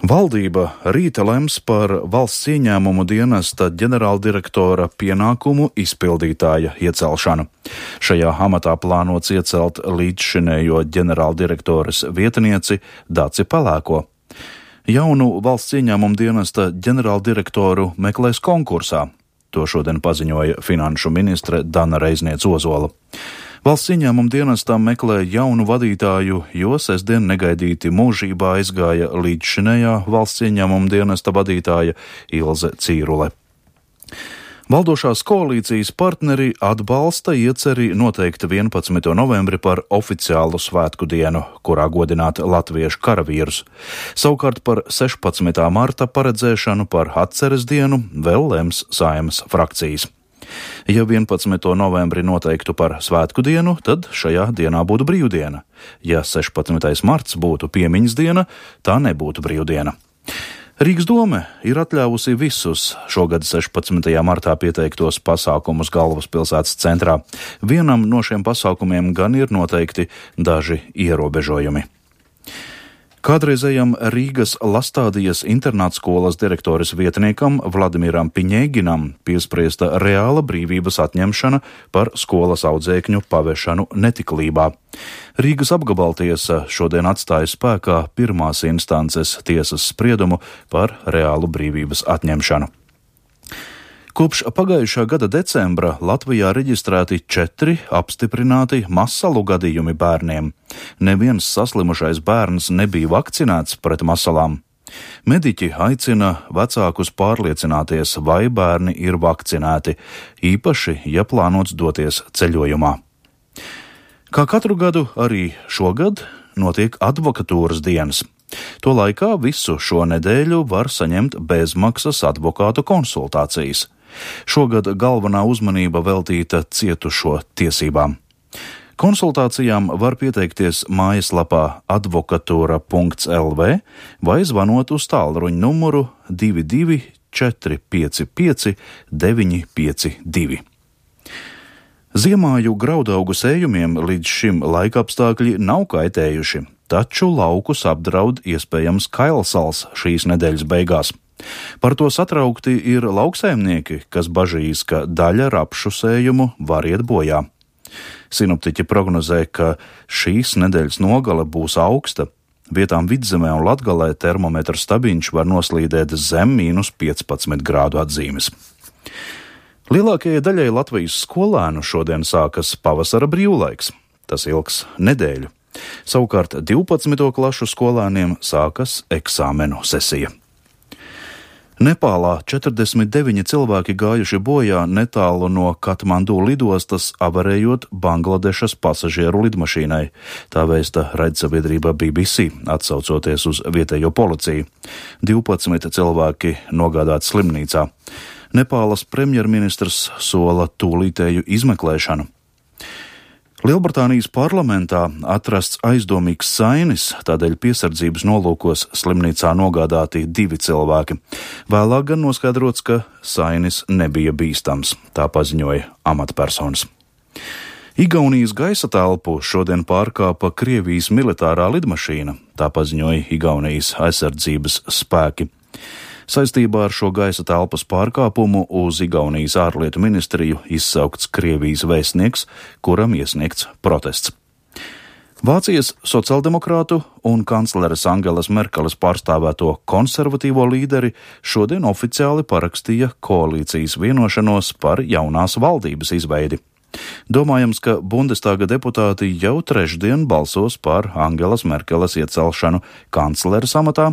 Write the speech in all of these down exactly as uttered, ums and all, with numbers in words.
Valdība rīta lems par valsts ieņēmumu dienesta ģenerāldirektora pienākumu izpildītāja iecelšanu. Šajā amatā plānots iecelt līdzšinējo ģenerāldirektoras vietnieci Daci Pelēko. Jaunu valsts ieņēmumu dienesta ģenerāldirektoru meklēs konkursā. To šodien paziņoja finanšu ministre Dana Reizniece-Ozola. Valsts ieņēmuma dienestā meklē jaunu vadītāju, jo sestdien negaidīti mūžībā aizgāja līdzšinējā valsts ieņēmuma dienesta vadītāja Ilze Cīrule. Valdošās koalīcijas partneri atbalsta ieceri noteikt vienpadsmito novembri par oficiālu svētku dienu, kurā godināt latviešu karavīrus. Savukārt par sešpadsmitā marta paredzēšanu par atceres dienu vēl lems Saeimas frakcijas. Ja vienpadsmito novembri noteiktu par svētku dienu, tad šajā dienā būtu brīvdiena. Ja sešpadsmitais marts būtu piemiņas diena, tā nebūtu brīvdiena. Rīgas dome ir atļāvusi visus šogad sešpadsmitajā martā pieteiktos pasākumus galvaspilsētas centrā. Vienam no šiem pasākumiem gan ir noteikti daži ierobežojumi. Kādreizējam Rīgas Lastādijas internātskolas direktoras vietniekam Vladimiram Piņēginam piespriesta reāla brīvības atņemšana par skolas audzēkņu pavešanu netiklībā. Rīgas apgabaltiesa šodien atstāja spēkā pirmās instances tiesas spriedumu par reālu brīvības atņemšanu. Kopš pagājušā gada decembra Latvijā reģistrēti četri apstiprināti masalu gadījumi bērniem. Neviens saslimušais bērns nebija vakcinēts pret masalām. Mediķi aicina vecākus pārliecināties, vai bērni ir vakcinēti, īpaši, ja plānots doties ceļojumā. Kā katru gadu, arī šogad notiek advokatūras dienas. To laikā visu šo nedēļu var saņemt bezmaksas advokātu konsultācijas. Šogad galvenā uzmanība veltīta cietušo tiesībām. Konsultācijām var pieteikties mājaslapā advokatūra punkts el vē vai zvanot uz tālruņa numuru divi divi četri pieci pieci deviņi pieci divi. Ziemāju graudaugu sējumiem līdz šim laikapstākļi nav kaitējuši, taču laukus apdraud iespējams kailsals šīs nedēļas beigās. Par to satraukti ir lauksaimnieki, kas bažīs, ka daļa rapšu sējumu var iet bojā. Sinoptiķi prognozē, ka šīs nedēļas nogale būs augsta. Vietām Vidzemē un Latgalē termometra stabiņš var noslīdēt zem mīnus piecpadsmit grādu atzīmes. Lielākajai daļai Latvijas skolēnu šodien sākas pavasara brīvlaiks. Tas ilgs nedēļu. Savukārt divpadsmito klašu skolēniem sākas eksāmenu sesija. Nepālā četrdesmit deviņi cilvēki gājuši bojā netālu no Katmandu lidostas, avarējot Bangladešas pasažieru lidmašīnai. Tā vēsta raidsabiedrība B B C, atsaucoties uz vietējo policiju. divpadsmit cilvēki nogādāti slimnīcā. Nepālas premjerministrs sola tūlītēju izmeklēšanu. Lielbritānijas parlamentā atrasts aizdomīgs sainis, tādēļ piesardzības nolūkos slimnīcā nogādāti divi cilvēki. Vēlāk gan noskaidrots, ka sainis nebija bīstams, tā paziņoja amatpersonas. Igaunijas gaisa telpu šodien pārkāpa Krievijas militārā lidmašīna, tā paziņoja Igaunijas aizsardzības spēki. Saistībā ar šo gaisa telpas pārkāpumu uz Igaunijas ārlietu ministriju izsaukts Krievijas vēstnieks, kuram iesniegts protests. Vācijas sociāldemokrātu un kancleres Angelas Merkeles pārstāvēto konservatīvo līderi šodien oficiāli parakstīja koalīcijas vienošanos par jaunās valdības izveidi. Domājams, ka Bundestāga deputāti jau trešdien balsos par Angelas Merkeles iecelšanu kancleres amatā,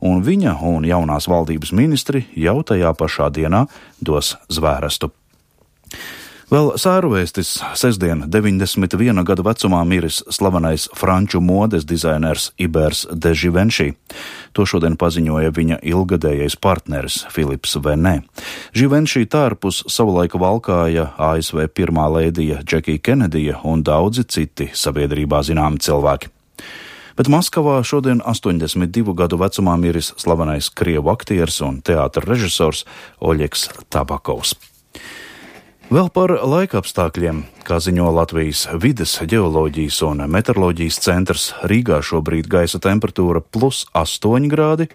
un viņa un jaunās valdības ministri jau tajā pašā dienā dos zvērestu. Vēl sēruvēstis sestdien deviņdesmit viena gada vecumā miris slavenais franču modes dizainers Ibers de Givenchy. To šodien paziņoja viņa ilgadējais partneris Filips Venē. Givenchy tērpus savulaika valkāja A S V pirmā lēdija Džekija Kenedija un daudzi citi sabiedrībā zināmi cilvēki. Bet Maskavā šodien astoņdesmit divu gadu vecumā miris slavenais krievu aktieris un teātra režisors Oļegs Tabakovs. Vēl par laikapstākļiem, kā ziņo Latvijas vides, ģeoloģijas un meteoroloģijas centrs, Rīgā šobrīd gaisa temperatūra plus astoņi grādi,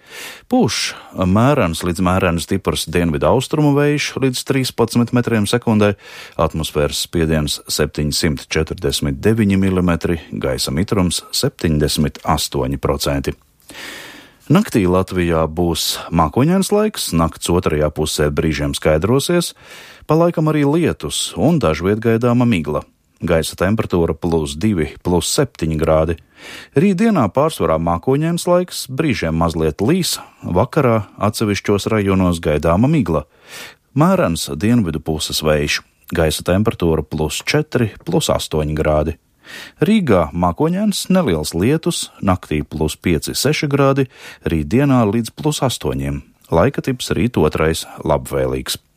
pūš mērens līdz mērens stiprs dienvidu austrumu vējš līdz trīspadsmit metriem sekundē, atmosfēras spiediens septiņsimt četrdesmit deviņi milimetri, gaisa mitrums septiņdesmit astoņi procenti. Naktī Latvijā būs mākoņains laiks, nakts otrajā pusē brīžiem skaidrosies, pa laikam arī lietus un dažviet gaidāma migla. Gaisa temperatūra plus divi, plus septiņi grādi. Rītdienā pārsvarā mākoņains laiks, brīžiem mazliet līs, vakarā atsevišķos rajonos gaidāma migla. Mērens dienvidu puses vējš, gaisa temperatūra plus četri, plus astoņi grādi. Rīgā mākoņains, neliels lietus, naktī plus pieci, seši grādi, rītdienā līdz plus astoņiem. Laika tips rīt otrais labvēlīgs.